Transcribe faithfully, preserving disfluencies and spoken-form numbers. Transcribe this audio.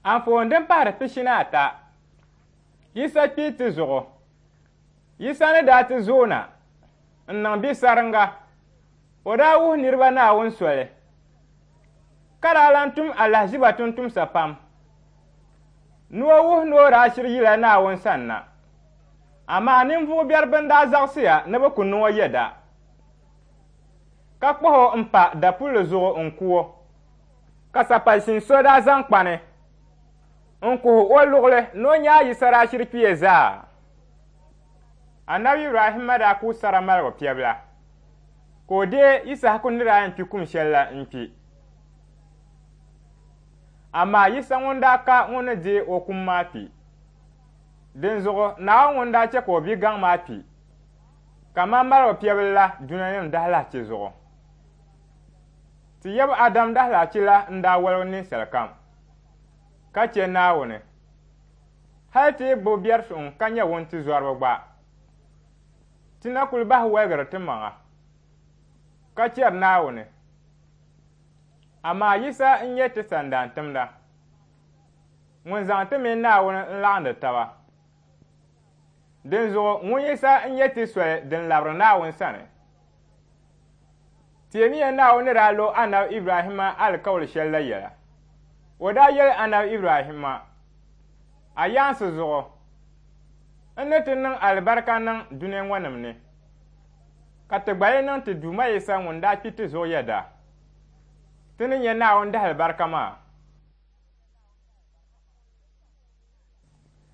Anfooni din pahiri pishi ni ata, Yisa kpi ti zuɣu. Yisa ni daa ti zooi na n-niŋ bisaringa, o daa wuhi niriba Naawuni soli, ka daa lan tum alahiziba tumtumsa pam ni o wuhi ni o daa shiri yila Naawuni sanna. Amaa ninvuɣ biɛri bɛn daa zaɣisiya ni bɛ ku niŋ o yɛda, ka kpuɣi o m-pa dapulli zuɣu n-ku o. Ka sapashin so daa zaŋ kpani n-kuhi o luɣili ni o nya Yisa daa shiri kpiya zaa. Anabi Ibrahimma daa ku sara maligu piɛbila, ka o deei Yisahaku ni daa yɛn kpi kum shɛli la n-kpi. Amaa Yisa ŋun daa ka ŋun ni deei o kum maa kpi. Dinzuɣu Naawuni ŋun daa chɛ ka o bi gaŋ maa kpi, kaman maligu piɛbil la dunianim dahilahichi zuɣu. Ti yab Adam dahilahichi la n-daa woligi ninsal kam, ka chɛ Naawuni. Hal ti yi gbibi biɛrisuŋ ka nyɛ wuntizɔriba gba, ti na kul bahi woligiri timaŋa, ka chɛri Naawuni. Amaa Yisa n-nyɛ ti sandaantimda, ŋun zaŋ ti mini Naawuni n-laɣindi taba. Dinzuɣu ŋun Yisa n-nyɛ ti soli din labiri Naawuni sani. Teemiya Naawuni ni daa lo Anabi Ibrahimma alikauli shɛli la yɛla. O daa yɛli Anabi Ibrahimma, A yaansi zuɣu, n ni ti niŋ alibarika niŋ dunia ŋɔ nim ni, ka ti gba yi niŋ ti Duuma Yisa ŋun daa kpi ti zuɣu yɛda, ti ni nya Naawuni dahalibarika maa.